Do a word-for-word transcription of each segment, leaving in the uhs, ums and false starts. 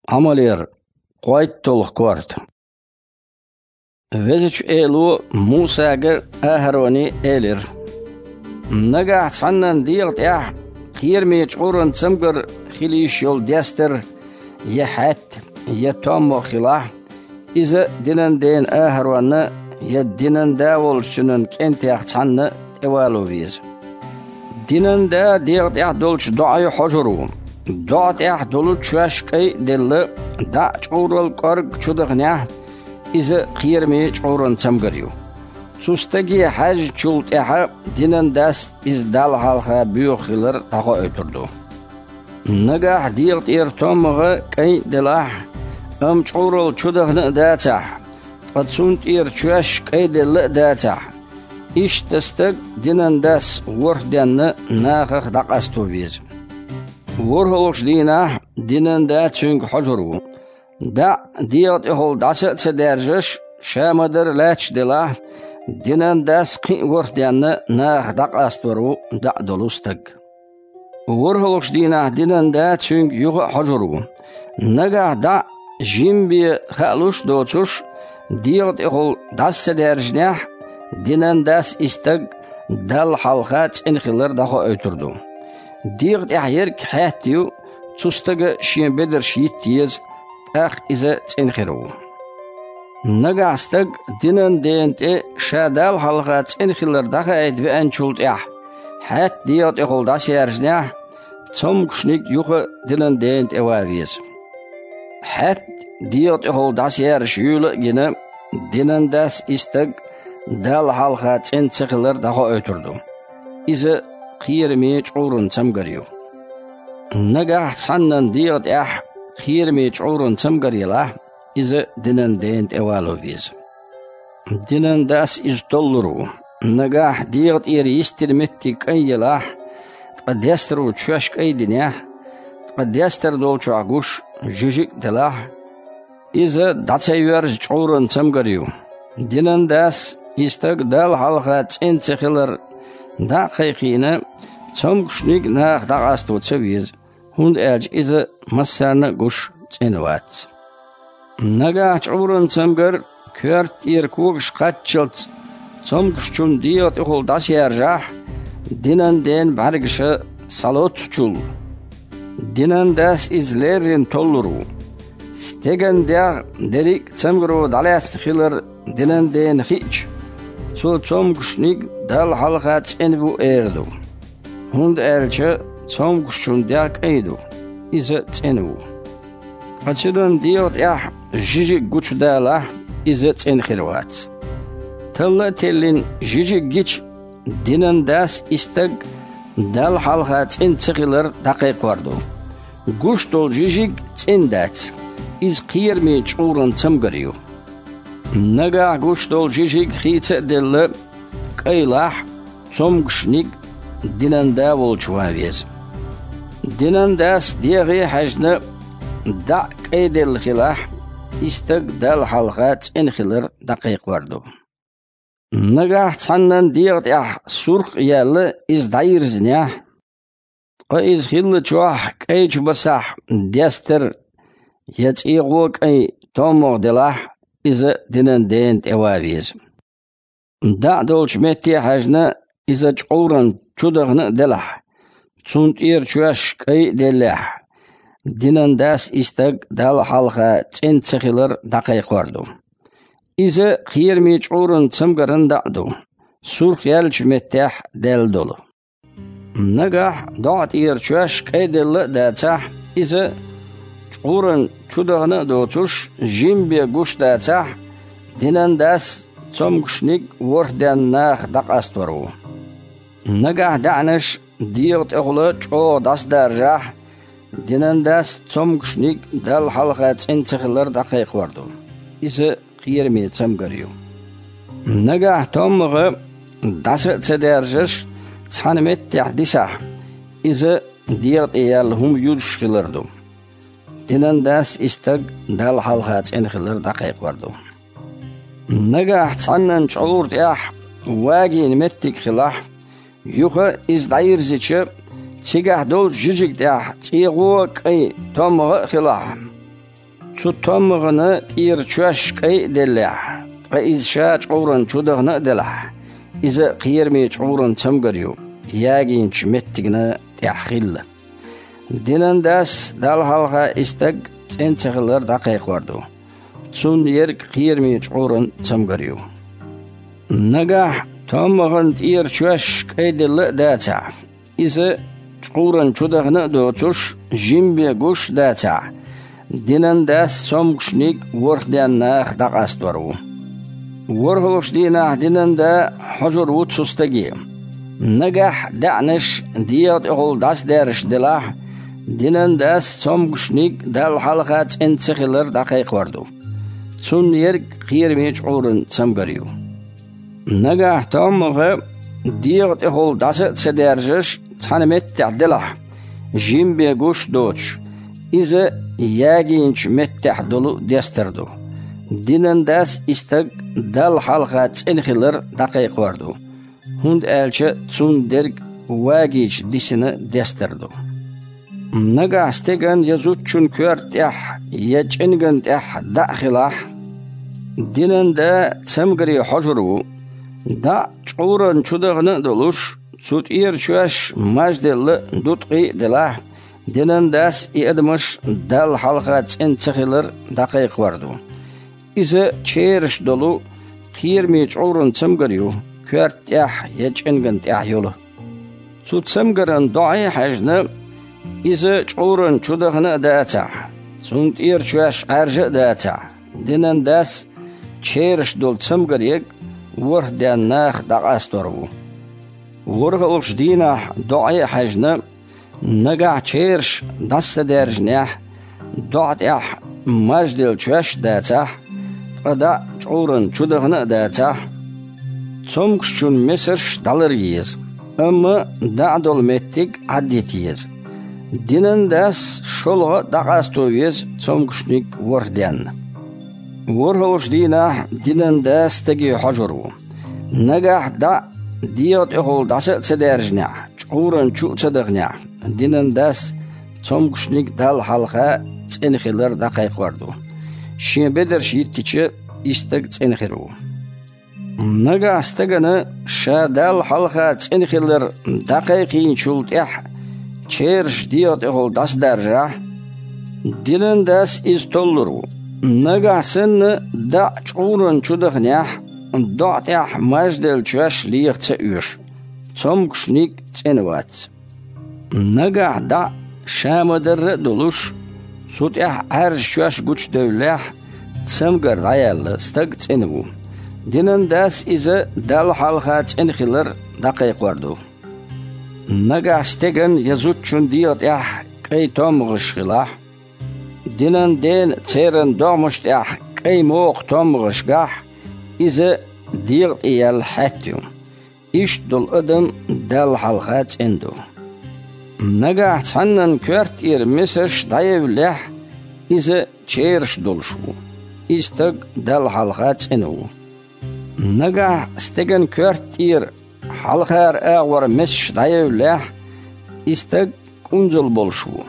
Ӏамалера кхойтталгӀа корта. Везачу Эло Мусага а, АхӀароне а элира: «Нагахь цхьаннан дегӀа тӀехь кхераме чкъуран цамгар хила йиш йолу дестар, я хьаьтта, я томмагӀа хилахь, иза динан дена АхӀаронна я динан да волчу цуьнан кӀентех цхьанна тӀевало веза. Динан да дегӀа тӀехь долчу доӀе хьожур ву. ДоӀа тӀехь долу чоьш кӀай а делла, даӀ чкъурал кӀорга чу даханехь, иза кхераме чкъуран цамгар ю. Цу стаге хьаьжначул тӀаьхьа динан дас иза Далла хьалха боьха хилар дӀахоуьйтур ду. Нагахь дегӀа тӀера томмагӀа кӀай а делахь, амма чкъурал чу дахана а дацахь, ткъа цунна тӀера чоьш кӀай а делла а дацахь, иштта стаг динан дас ворхӀ денна нахах дӀакъасто веза. ВорхӀалгӀачу дийнахь динан да цуьнга хьожур ву. ДаӀ дегӀа тӀехула дӀаса а ца даьржаш, ша ма-дарра лаьтташ делахь, динан дас кхин а ворхӀ денна нахах дӀакъастор ву даӀ долу стаг. ВорхӀалгӀачу дийнахь динан да цуьнга юха а хьожур ву. Нагахь даӀ жима бен хаалуш а доцуш, дегӀа тӀехула дӀаса ца даьржинехь, динан дас и стаг Далла хьалха цӀена хилар дӀахоуьйтур ду. ДегӀа тӀехь ерг хьаьтта ю, цу стага шен бедарш йитта еза, тӀаккха иза цӀена хир ву. Нагахь стаг динан дена тӀе ша Далла хьалха цӀена хилар дӀахаийта веанчул тӀаьхьа, хьаьтта дегӀа тӀехула дӀасаяьржинехь, цомгушниг юха динан дена тӀе ван веза. Хьаьтта дегӀа тӀехула дӀасаяьржаш юйла а гина, динан дас и стаг Далла хьалха цӀена ца хилар дӀахоуьйтур ду. Иза кхераме чкъуран цамгар ю. Нагахь цхьаннан дегӀа тӀехь кхераме чкъуран цамгар елахь, иза динан дена тӀе вало веза. Динан дас иза толлур ву. Нагахь дегӀа тӀера йистина меттиг кӀайн елахь, ткъа дестаро чоьш кӀай динехь, ткъа дестар долчохь гуш жижиг а делахь, иза дӀа ца йоьрзу чкъуран цамгар ю. Динан дас и стаг Далла хьалха цӀена ца хилар дӀа а кхайкхийна, цомгушниг нахах дӀакъасто ца веза, хӀунда аьлча иза массарна а гуш цӀена вац. Нагахь чкъуран цамгар коьрта тӀера когаш кхаччалц цомгушчун дегӀа тӀехула дӀасаяьржахь, динан дена бӀаьргаша схьалоццучул, динан дас иза леррина толлур ву. Стеган дегӀ дерриг а цамгаро дӀалаьцна хилар динан дена хиъча, цо цомгушниг Далла хьалха цӀена ву эр ду. ХӀунда аьлча цомгушчун дегӀ кӀай ду, иза цӀена ву. Ткъа цуьнан дегӀа тӀехь жижиг гучудалахь, иза цӀена хир вац. Талла а теллина, жижиг гича, динан дас и стаг Далла хьалха цӀена ца хилар дӀакхайкхор ду. Гуш долу жижиг цӀена дац, иза кхераме чкъуран цамгар ю. Нагахь гуш долу жижиг хийца а делла, кӀайлахь, цомгушниг динан да волчу ван веза. Динан дас дегӀе а хьаьжна, даӀ кӀайделла хилахь, и стаг Далла хьалха цӀена хилар дӀакхайкхор ду. Нагахь цхьаннан дегӀа тӀехь сурх а яьлла, иза дӀайирзинехь, ткъа иза хиллачохь кӀайчу басахь дестар я цӀегӀо кӀайн томмагӀа делахь, иза динан дена тӀе ван веза. ДаӀ долчу метте а хьаьжна, иза чкъуран чу дахана а делахь, цунна тӀера чоьш кӀай а деллехь, динан дас и стаг Далла хьалха цӀена ца хилар дӀакхайкхор ду. Иза кхераме чкъуран цамгаран даӀ ду, сурх яьллачу меттехь даьлла долу. Нагахь доӀа тӀера чоьш кӀайделла а дацахь, иза чкъуран чу дахана а доцуш, жима бен гуш дацахь, динан дас цомгушниг ворхӀ денна нахах дӀакъастор ву. Нагахь даьӀнаш дегӀа тӀехула чӀогӀа дӀасадаржахь, динан дас цомгушниг Далла хьалха цӀена ца хилар дӀакхайкхор ду. Иза кхераме цамгар ю. Нагахь томмагӀа дӀаса а ца даьржаш, цхьана меттехь дисахь, иза дегӀа тӀе яьлла хӀума юзуш хилар ду. Динан дас и стаг Далла хьалха цӀена хилар дӀакхайкхор ду. Нагахь цхьаннан чкъура тӀехь вагийна меттиг хилахь, юха иза дӀайирзича, цигахь долчу жижиг тӀехь цӀегӀо а кӀайн томмагӀа а хилахь, Цу томмагӀана тӀера чоьш кӀай а деллехь, ткъа иза ша чкъуран чу дахана а делахь, иза кхераме чкъуран цамгар ю, ягийначу меттигна тӀехь хилла. Динан дас Далла хьалха и стаг цӀена ца хилар дӀакхайкхор ду. Цунна ерг кхераме чкъуран цамгар ю. Нагахь томмагӀана тӀера чоьш кӀай делла а дацахь, иза чкъуран чу дахана а доцуш, жима бен гуш а дацахь, динан дас цомгушниг ворхӀ денна наха дӀакъастор ву. ВорхӀалгӀачу дийнахь динан да хьожур ву цу стаге. Нагахь даьӀнаш дегӀан тӀехула дӀасадаьржаш делахь, динан дас цомгушниг Далла хьалха цӀена ца хилар дӀакхайкхор ду. Цунна ерг кхераме чкъуран цамгар ю. Нагахь томмагӀа дегӀан тӀехула дӀаса а ца даьржаш, цхьана меттехь делахь, жима бен гуш а доцуш, иза ягийначу меттехь долу дестар ду. Динан дас и стаг Далла хьалха цӀена хилар дӀакхайкхор ду, хӀунда аьлча цунна дерг вагийча дисина дестар ду. Нагахь стеган я зудчун коьрта тӀехь, я чӀенган тӀехь даӀ хилахь, динан да цамгаре хьожур ву. ДаӀ чкъуран чу дахана а долуш, цу тӀера чоьш мажделла дуткъий а делахь, динан дас и адамаш Далла хьалха цӀена ца хилар дӀакхайкхор ду. Иза чераш долу кхераме чкъуран цамгар ю, коьрта тӀехь я чӀенган тӀехь йолу. Цу цамгаран доӀе а хьаьжна, иза чкъуран чу дахана а дацахь, цунна тӀера чоьш Ӏаьржа а дацахь, динан дас чераш долу цамгар ерг ворхӀ денна наха дӀакъастор ву. ВорхӀалгӀачу дийнахь доӀе а хьаьжна, нагахь чераш дӀасадаьржинехь, доӀа тӀехь мажделла чоьш а дацахь, ткъа даӀ чкъуран чу дахана а дацахь, цомгушчун месаш дӀалар еза, амма даӀ долу меттиг Ӏаддита еза. Динан дас шолгӀа а дӀакъасто веза цомгушниг ворхӀ денна. ВорхӀалгӀачу дийнахь динан да стаге хьожур ву. Нагахь даӀ дегӀан тӀехула дӀаса а ца даьржинехь, чкъуран чу а ца даханехь, динан дас цомгушниг Далла хьалха цӀена хилар дӀакхайкхор ду. Шен бедарш йиттича, и стаг цӀена хир ву. Нагахь стагана ша Далла хьалха цӀена хилар дӀакхайкхийначул тӀаьхьа чераш дегӀан тӀехула дӀасадаржахь, динан дас иза толлур ву. Нагахь санна даӀ чкъуран чу даханехь, доӀа тӀехь мажделла чоьш леха ца оьшу, цомгушниг цӀена вац. Нагахь даӀ ша ма-дарра а долуш, цу тӀехь Ӏаьржа чоьш гучудевллехь, цамгар дӀаяьлла, стаг цӀена ву. Динан дас иза Далла хьалха цӀена хилар дӀакхайкхор ду. Нагахь стеган я зудчун дегӀан тӀехь кӀай томмагӀаш хилахь, динан дена церан догӀмаш тӀехь кӀай мокха томмагӀаш гахь, иза дегӀан тӀе яьлла хьаьтта ю. Иштта долу адам Далла хьалха цӀена ду. Нагахь цхьаннан коьрта тӀера месаш дӀаевллехь, иза чераш долуш ву. И стаг Далла хьалха цӀена ву. Нагахь стеган коьрта тӀера хьалхара агӀор месаш дӀаевллехь, и стаг кӀунзал болуш ву.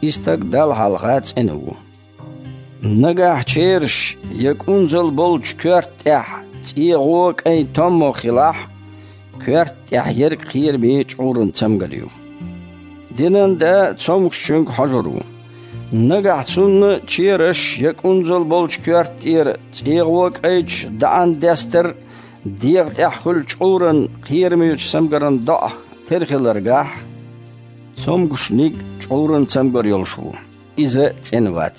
И стаг Далла хьалха цӀена ву. Нагахь чераш я кӀунзал болчу коьрта тӀехь цӀегӀо кӀайн томмагӀа хилахь, коьрта тӀехь ерг кхераме чкъуран цамгар ю. Динан да цомгушчуьнга хьожур ву. Нагахь цунна чераш я кӀунзал болчу коьрта тӀера цӀегӀо кӀайчу даӀан дестар дегӀан тӀехь хуьлу чкъуран кхерамечу цамгаран доӀах тера хилар гахь, цомгушниг чкъуран цамгар йолуш ву, иза цӀена вац.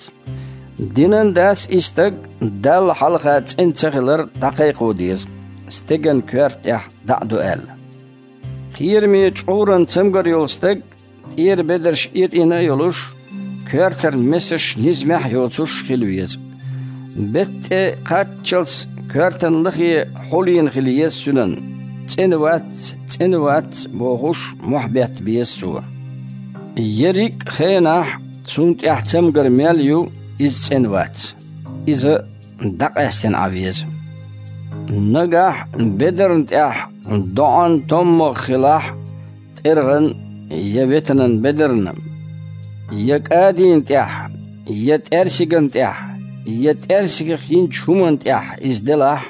Динан дас и стаг Далла хьалха цӀена ца хилар дӀакхайкхо деза, стеган коьрта тӀехь даӀ ду аьлла. Кхераме чкъуран цамгар йолу стаг тӀера бедарш этӀийна а йолуш, коьртара месаш низамехь а йоцуш хила веза. БеттӀа кхаччалц коьртан лахе хьулийна хила еза цуьнан, цӀена вац, цӀена вац бохуш, мохь бетта беза цо. Ерриг а хенахь цунна тӀехь цамгар мел ю, иза цӀена вац. Иза дӀакъаьстина Ӏан веза. Нагахь бедарна тӀехь доӀан томмагӀа хилахь, тӀергӀан я ветанан бедарна, я кӀадийна тӀехь, я тӀаьрсиган тӀехь, я тӀаьрсигах йинчу хӀуманна тӀехь иза делахь,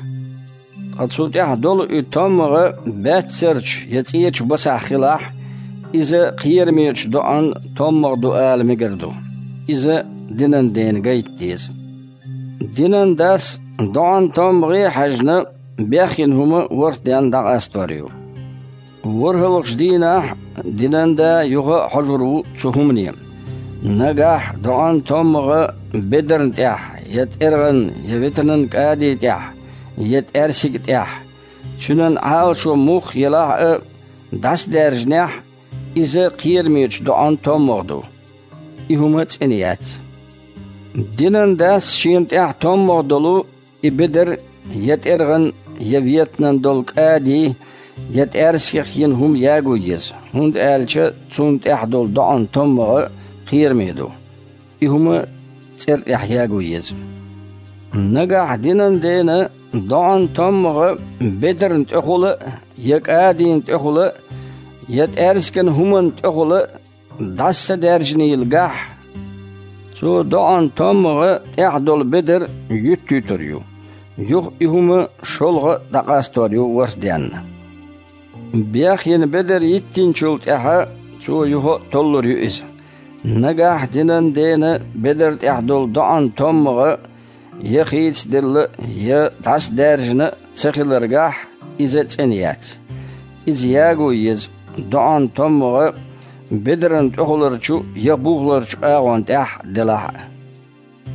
ткъа цу тӀехь долу и томмагӀа баьццарчу я цӀечу басахь хилахь, иза кхерамечу доӀан томмагӀа ду ала мегар ду. Иза динан дена гайта деза. Динан дас доӀан томмагӀе а хьаьжна, бехйина хӀума ворхӀ денна дӀакъастор ю. ВорхӀалгӀачу дийнахь динан да юха а хьожур ву цу хӀумане. Нагахь доӀан томмагӀа бедарна тӀехь, я тӀергӀан, я ветанан кӀади тӀехь, я тӀаьрсиг тӀехь, цуьнан Ӏалашо мух елахь а, дӀасадаьржинехь, иза кхерамечу доӀан томмагӀа ду. И хӀума цӀена яц. Динан дас шена тӀехь томмагӀа долу и бедар, я тӀергӀан, я ветанан долу кӀади, я тӀаьрсигах йина хӀума яго еза, хӀунда аьлча цунна тӀехь долу доӀан томмагӀа кхераме ду. И хӀума цӀера тӀехь яго еза. Нагахь динан дена доӀан томмагӀа бедарна тӀехула а, я кӀадина тӀехула а, я тӀаьрсиган хӀуманна тӀехула а дӀаса ца даьржинийла гахь, цо доӀан томмагӀа тӀехь долу бедар юьттуьйтур ю, юха и хӀума шолгӀа а дӀакъастор ю ворхӀ денна. Бехйина бедар йиттинчул тӀаьхьа цо юха а толлур ю иза. Нагахь динан дена бедар тӀехь долу доӀан томмагӀа я хийцаделла, я дӀасадаьржина ца хиларгахь, иза цӀена яц. Иза яго еза, доӀан томмагӀа бедарна тӀехуларчу я бухларчу агӀон тӀехь делахь а.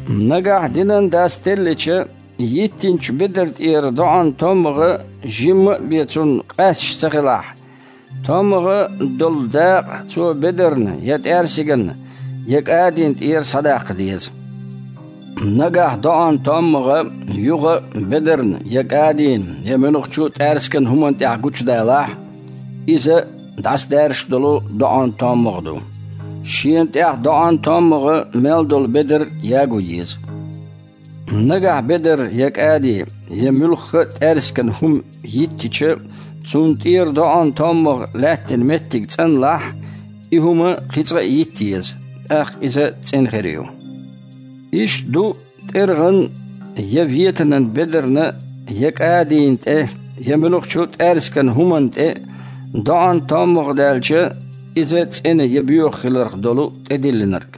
Нагахь динан дас теллича, йиттинчу бедар тӀера доӀан томмагӀа жимма а бен цунна къаьсташ ца хилахь, томмагӀа долу дакъа цо бедарна, я тӀаьрсиганна, я кӀадина тӀера схьадаккха деза. Нагахь доӀан томмагӀа юха а бедарна, я кӀадина, я муьлххачу тӀаьрсиган хӀуманна тӀехь гучудалахь, иза дӀасадаьржаш долу доӀан томмагӀа ду. Шена тӀехь доӀан томмагӀа мел долу бедар яго еза. Нагахь бедар я кӀади, я муьлхха а тӀаьрсиган хӀума йиттича, цунна тӀера доӀан томмагӀа лаьттина меттиг цӀанлахь, и хӀума кхин цкъа а йитта еза, тӀаккха иза цӀена хир ю. Иштта ду тӀергӀан, я ветанан бедарна, я кӀадина тӀе, я муьлххачу тӀаьрсиган хӀуманна тӀе доӀан томмагӀа даьлча, иза цӀена я боьха хиларх долу тӀедиллинарг.